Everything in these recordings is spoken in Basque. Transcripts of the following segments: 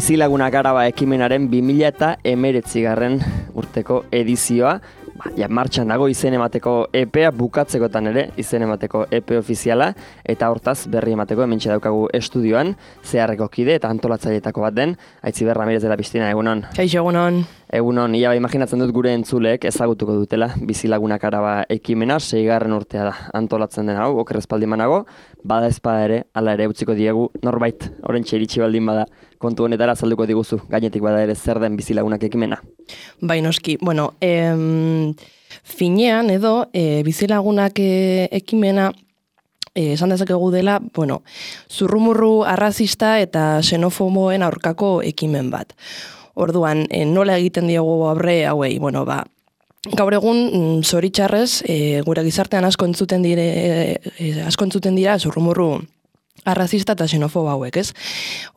Bizilagunak Araba ekimenaren 2019 urteko edizioa, martxan dago izen emateko EPEA bukatzekotan ere, izen emateko EPE ofiziala, eta hortaz berri emateko hementxe daukagu estudioan, zeharreko kide eta antolatzaileetako bat den, Aitziber Ramirez de la Pistina, egunon. Kaixo, egunon. Egunon, ia imaginatzen dut gure entzuleek ezagutuko dutela Bizilagunak Araba ekimena, 6. urtea da antolatzen den hau, oker espaldimanago, bada ezpada ere, ala ere utziko diegu norbait, orentxe iritsi baldin bada, kontu honetara azalduko diguzu, gainetik bada ere zer den Bizilagunak ekimena. Bai, noski, bueno, finean edo Bizilagunak ekimena esan dezakegu dela, bueno, zurrumurru arrazista eta xenofoboen aurkako ekimen bat. Orduan, nola egiten diogu aurre hauei, bueno, gaur egun zoritxarrez gure gizartean asko entzuten dira zurrumurru arrazista eta xenofobo hauek, ez?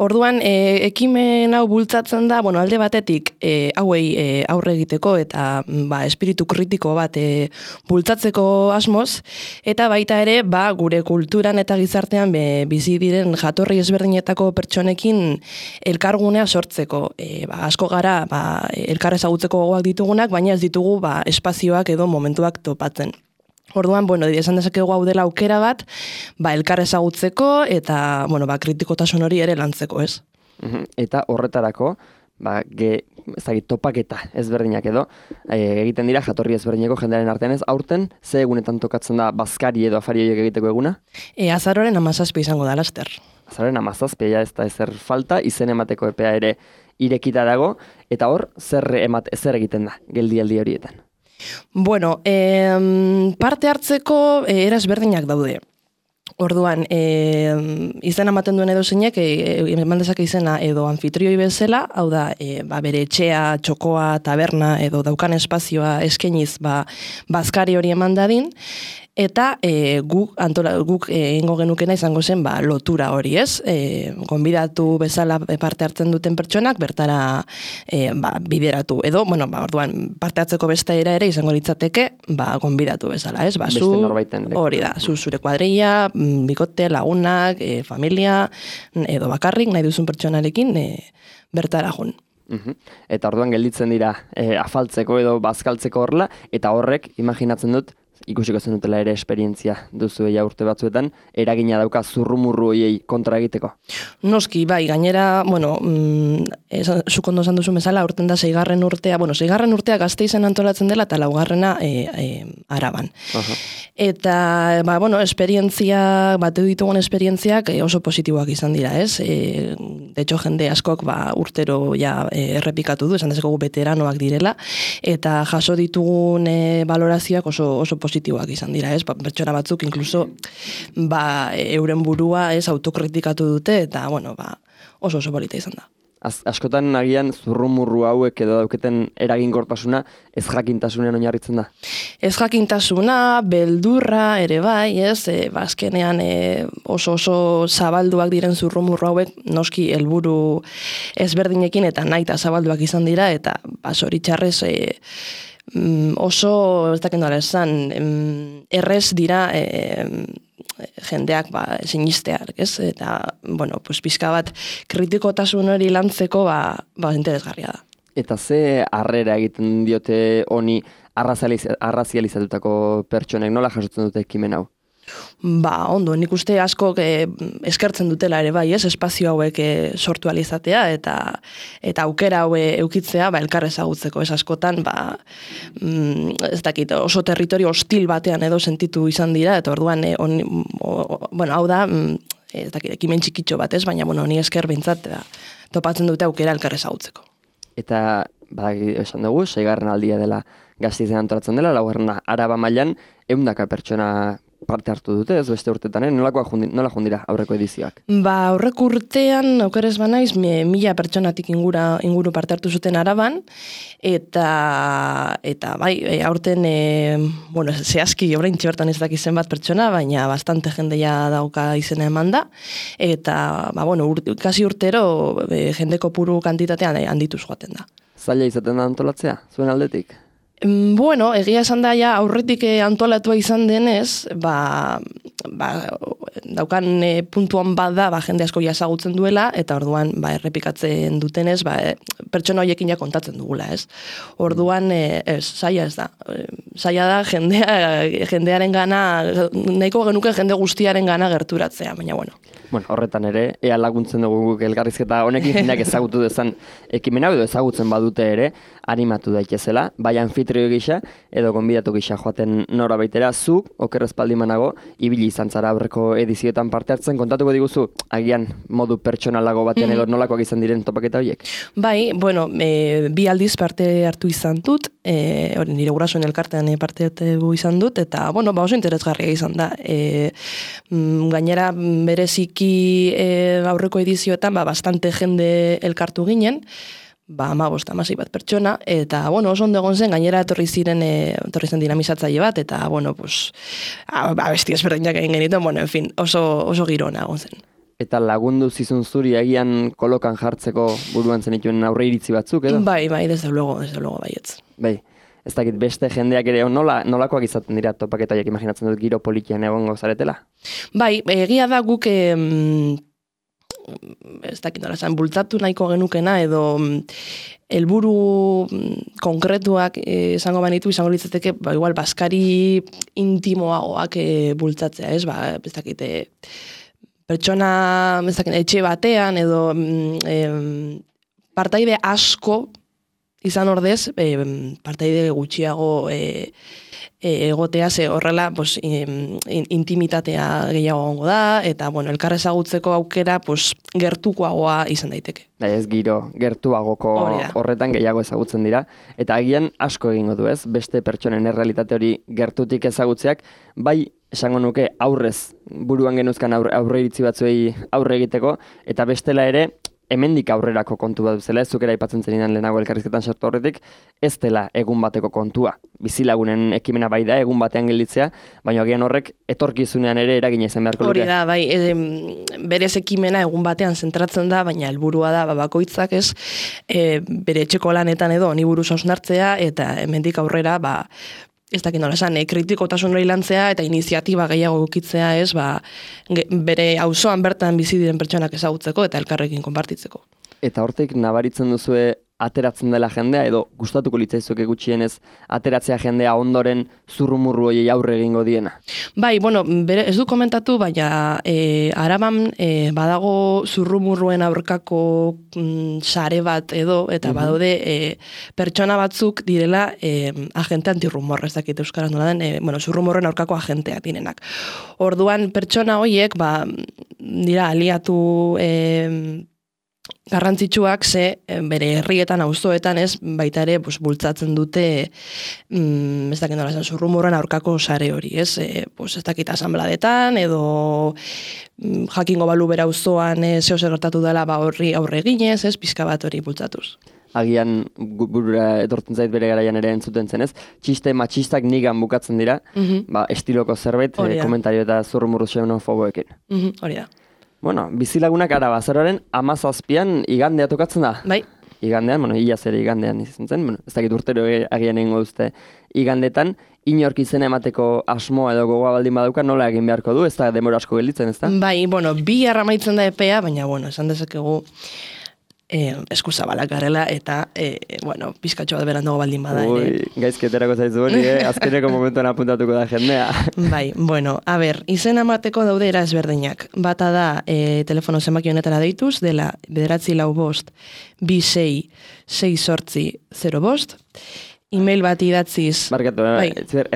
Orduan, ekimen hau bultzatzen da, bueno, alde batetik hauei aurre egiteko eta espiritu kritiko bat bultzatzeko asmoz, eta baita ere, gure kulturan eta gizartean bizi diren jatorri ezberdinetako pertsonekin elkargunea sortzeko. Asko gara, elkar ezagutzeko gogoak ditugunak, baina ez ditugu espazioak edo momentuak topatzen. Orduan, bueno, esan dezakegu hau dela aukera bat, elkar ezagutzeko eta, kritikotasun hori ere lantzeko, ez? Eta horretarako, topaketa ezberdinak edo, egiten dira jatorri ezberdineko jendearen artean ez, aurten, ze egunetan tokatzen da bazkari edo afari horiek egiteko eguna? Azaroren 17 izango da, laster. Azaroren 17, ez da ezer falta, izen emateko epea ere irekita dago, eta hor, zer egiten da, geldialdi horietan? Bueno, parte hartzeko era ezberdinak daude. Orduan, izena ematen duen edo zeinek, eman dezake izena edo anfitrioi bezala, hau da, bere etxea, txokoa, taberna edo daukan espazioa eskeniz bazkari hori eman dadin, eta guk egingo genukena izango zen lotura hori, ez? Gonbidatu bezala parte hartzen duten pertsonak bertara bideratu. Edo, orduan, parte hartzeko beste ere izango litzateke gonbidatu bezala, ez? Beste norbaiten. Hori da, zure kuadrilla, bikote, lagunak, familia, edo bakarrik nahi duzun pertsonarekin bertara jun. Eta orduan gelditzen dira afaltzeko edo bazkaltzeko horrela, eta horrek, imaginatzen dut, ikusiko zen dutela ere esperientzia duzu urte batzuetan, eragina dauka zurrumurru hoiei kontra egiteko? Noski, gainera, zuk ondo esan duzu bezala, urten da 6. urtea, 6. urtea Gasteizen antolatzen dela, eta 4. Araban. Eta, esperientzia, batu ditugun esperientziak oso positiboak izan dira, ez? De hecho, jende askok urtero errepikatu du, esan dezakegu veteranoak direla, eta jaso ditugun valorazioak oso positiboak izan dira, ez? Pertsona batzuk inkluso euren burua autokritikatu dute eta oso polita izan da. Askotan agian zurrumurru hauek edo dauketen eraginkortasuna ez jakintasunean oinarritzen da. Ez jakintasuna, beldurra ere bai, ez? Azkenean oso zabalduak diren zurrumurru hauek noski helburu ezberdinekin eta nahita zabalduak izan dira eta zoritxarrez oso, ez dakit nola esan, errez dira jendeak sinisteak, ez? Eta, pizka bat kritikotasun hori lantzeko interesgarria da. Eta ze harrera egiten diote honi arrazializatutako pertsonek, nola jasotzen dute ekimen hau? Ondo, nik uste asko eskertzen dutela ere bai, ez? Espazio hauek sortu alizatea eta aukera haue eukitzea elkar ezagutzeko, ez askotan, ez dakit, oso territorio hostil batean edo sentitu izan dira, eta orduan, hau da, ez dakit, ekimen txikitxo bat, ez? Baina, honi esker behintzat, topatzen dute aukera elkar ezagutzeko. Eta, esan dugu, 6. aldia dela Gasteizen antolatzen dela, 4. Araba mailan 100 pertsona parte hartu dute, ez beste urtetan, nola jundira aurreko edizioak? Aurreko urtean, aukerez banaiz, 1000 pertsonatik inguru parte hartu zuten Araban, eta aurten, zehazki, orain txibertan ez dakizen bat pertsona, baina bastante jendea dauka izena eman da, eta, kasi urtero jende kopuru kantitatean handituz joaten da. Zaila izaten da antolatzea, zuen aldetik? Egia esan da, aurretik antolatua izan denez, daukan puntuan bat da, jende asko jazagutzen duela, eta orduan errepikatzen dutenez, pertsona horiekin ja kontatzen dugula, ez? Orduan, zaila ez da. Zaila da jendearen gana, nahiko genuke jende guztiaren gana gerturatzea, baina bueno. Bueno, horretan ere, ea laguntzen dugu elkarrizketa honekin jendeak ezagutu dezan ekimena, edo ezagutzen badute ere, animatu daitezela, bai anfitrio gisa, edo gonbidatu gisa joaten nora baitera, zu, oker espaldimanago, ibili izan zara aurreko edizioetan parte hartzen, kontatuko diguzu, agian modu pertsonalago batean edo nolakoak izan diren topaketa horiek? Bai, bueno, bi aldiz parte hartu izan dut, nire gurasoen elkartean parte hartu izan dut, eta, bueno, oso interesgarria izan da. Gainera, bereziki aurreko edizioetan, bastante jende elkartu ginen, 15-16 bat pertsona, eta, bueno, oso ondo egon zen, gainera etorri zen dinamizatzaile bat, eta, bueno, pues, abesti ezberdinak egin genituen, bueno, en fin, oso girona egon zen. Eta lagundu zizun zuri agian kolokan jartzeko buruan zenituen aurre iritzi batzuk, edo? Bai, desde luego, baietz. Bai, ez dakit beste jendeak ere nolakoak izaten dira topaketaiak, imaginatzen dut giro politian egongo zaretela? Bai, egia da guk ez dakit nola esan, bultzatu nahiko genukena edo helburu konkretuak izango litzateke, igual baskari intimoagoak bultzatzea, ez? Ez dakit pertsona, ez dakit, etxe batean edo partaide asko izan ordez, partaide gutxiago egotea, horrela intimitatea gehiago gongo da, eta bueno, elkar ezagutzeko aukera gertukoagoa izan daiteke. Ez giro, gertuagoko horretan gehiago ezagutzen dira, eta agian asko egingo du, ez? Beste pertsonen errealitate hori gertutik ezagutzeak, bai esango nuke aurrez buruan genuzkan aurre iritzi batzuei aurre egiteko, eta bestela ere, hemendik aurrerako kontu bat duzela, ez zukera aipatzen zenidan lehenago elkarrizketan sartu horretik, ez dela egun bateko kontua. Bizilagunen ekimena bai da, egun batean gelditzea, baina agian horrek etorkizunean ere eragina izan beharko luke. Hori da, bai, berez ekimena egun batean zentratzen da, baina helburua da bakoitzak ez, bere etxeko lanetan edo honi buruz hausnartzea, eta hemendik aurrera, ez dakit nola esan, kritikotasun hori lantzea eta iniziatiba gehiago ukitzea, ez, bere auzoan bertan bizi diren pertsonak ezagutzeko eta elkarrekin konpartitzeko. Eta hortik nabaritzen duzue ateratzen dela jendea, edo gustatuko litzaizuke gutxienez ateratzea jendea ondoren zurrumurru horiei aurre egingo diena? Bai, bueno, ez du komentatu, baina Araban badago zurrumurruen aurkako sare bat edo, eta badaude pertsona batzuk direla agente antirrumor, ez dakit euskaraz nola den, zurrumurren aurkako agenteak direnak. Orduan pertsona horiek, dira aliatu garrantzitsuak bere herrietan, auzoetan ez, baita ere bultzatzen dute ez dakit nola esan, zurrumurren aurkako sare hori, ez? Ez dakit asanbladetan edo jakingo balu bera auzoan zeo zer gertatu dela horri aurre eginez, ez, pizka bat hori bultzatuz. Agian burura etortzen zait bere garaian ere entzuten zenez, txiste matxistak nigan bukatzen dira, estiloko zerbait, komentario eta zurrumurru xenofoboekin. Hori da. Bueno, bizilagunak Arabazaroaren 17an igandea tokatzen da. Bai. Igandean, iaz ere igandean izan zen, ez dakit urtero agian egingo duzte igandetan, inork izena emateko asmoa edo gogoa baldin badauka nola egin beharko du, ez da demora asko gelditzen, ez da? Bai, bi amaitzen da epea, baina, esan dezakegu eskuzabalak garela, eta, pizkatxo bat berandago baldin bada. Gaizketerako zaizu hori, azkeneko momentuan apuntatuko da jendea. Bai, izena emateko daude era ezberdinak. Bata da, telefono zenbaki honetara deituz, dela 945 266805, e-mail bat idatziz. Barkatu,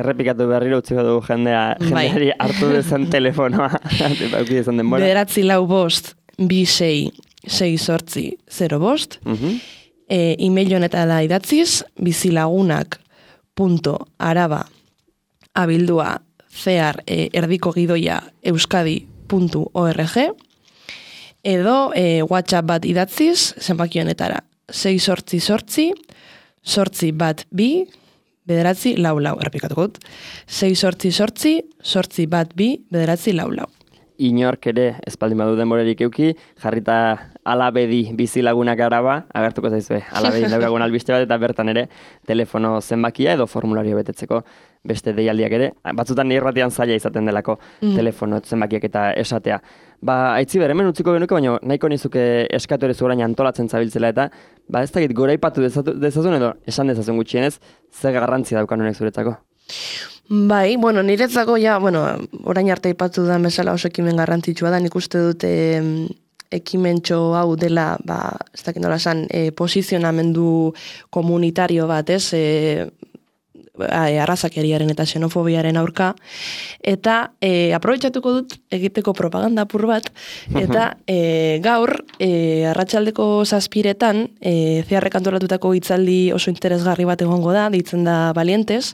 errepikatu berriro utziko dugu jendeari hartu dezan telefonoa. 945 266805, e-mail honetara idatziz, bizilagunak.araba@erdiko gidoia euskadi.org, edo WhatsApp bat idatziz, zenbaki honetara 688-812-944, errepikatuko dut, 688-812-944. inork ere espaldin badu denborerik euki, jarrita Alabedi bizilagunak araba, agertuko zaizue, Alabedi daukagun albiste bat, eta bertan ere telefono zenbakia edo formulario betetzeko beste deialdiak ere, batzutan irratian zaila izaten delako telefono zenbakiak eta esatea. Aitziber, hemen utziko genuke, baina nahiko nizuke eskatu ere zuerain antolatzen zabiltzela eta, ez dakit goraipatu dezazun edo esan dezazun gutxienez, zer garrantzia daukan honek zuretzako? Bai, niretzako orain arte aipatu da bezala oso ekimen garrantzitsua da, nik uste dute ekimentxo hau dela, ez dakit nola esan, posizionamendu komunitario bat, arrazakeriaren eta xenofobiaren aurka, eta aprobetxatuko dut egiteko propaganda apur bat, eta gaur, arratsaldeko 7:00 zeharrek antolatutako hitzaldi oso interesgarri bat egongo da, deitzen da Valientes,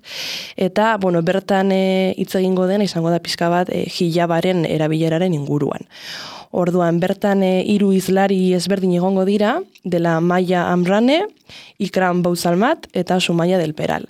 eta bertan hitz egingo den, izango da pixka bat hijabaren erabileraren inguruan. Orduan, bertan 3 hizlari ezberdin egongo dira, dela Maya Amrane, Ikram Bouzalmat eta Sumaya del Peral.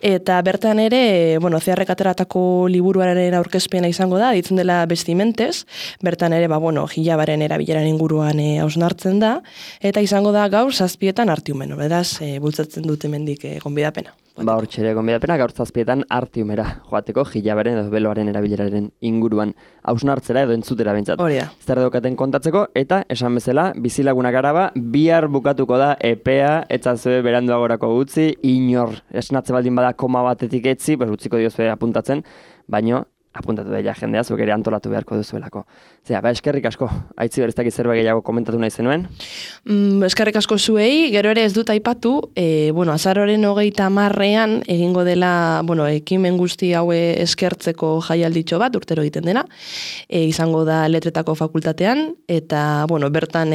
Eta bertan ere, zeharrek ateratako liburuaren aurkezpena izango da, ditzen dela Vestimentes, bertan ere, hijabaren erabileran inguruan hausnartzen da, eta izango da gaur 7:00 Artiumen, beraz, bultzatzen dute mendik gonbidapena. Hortxere gonbidapena gaur 7:00 Artiumera joateko hijabaren edo beloaren erabileraren inguruan hausnartzera edo entzutera bintzat. Hori da. Zer daukaten kontatzeko, eta esan bezala, bizilagunak araba, bihar bukatuko da epea, etzazue beranduagorako utzi, inor esnatze baldin bada koma batetik etzi, utziko diozue apuntatzen, baino apuntatu daia jendea, zuek ere antolatu beharko duzuelako. Eskerrik asko, Aitziber, ez dakit zerbait gehiago komentatu nahi zenuen? Eskerrik asko zuei, gero ere ez dut aipatu, azaroaren 30 egingo dela, ekimen guzti haue eskertzeko jaialditxo bat, urtero egiten dena, izango da Letretako fakultatean, eta, bertan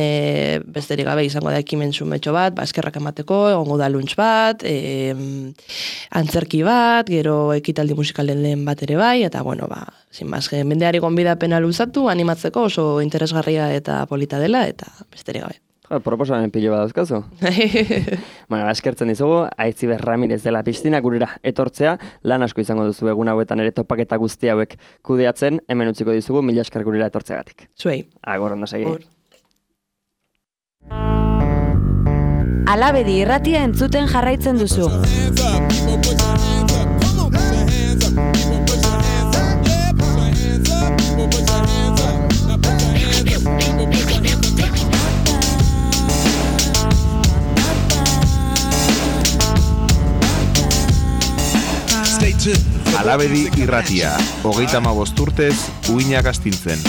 besterik gabe izango da ekimen zumetxo bat, eskerrak emateko, egongo da lunch bat, antzerki bat, gero ekitaldi musikalen lehen bat ere bai, eta, sin más, mendeari gonbidapena luzatu, animatzeko oso interesgarria eta polita dela, eta besterik gabe. Proposamen pilo bat dauzkazu. Eskertzen dizugu, Aitziber Ramirez dela Piztina gurera etortzea, lan asko izango duzu egun hauetan ere topaketa guzti hauek kudeatzen, hemen utziko dizugu, 1000 esker gurera etortzeagatik. Zuei. Agor, ondo segi. Alabedi irratia entzuten jarraitzen duzu. Alabedi irratia, 35 urtez, uinak astintzen.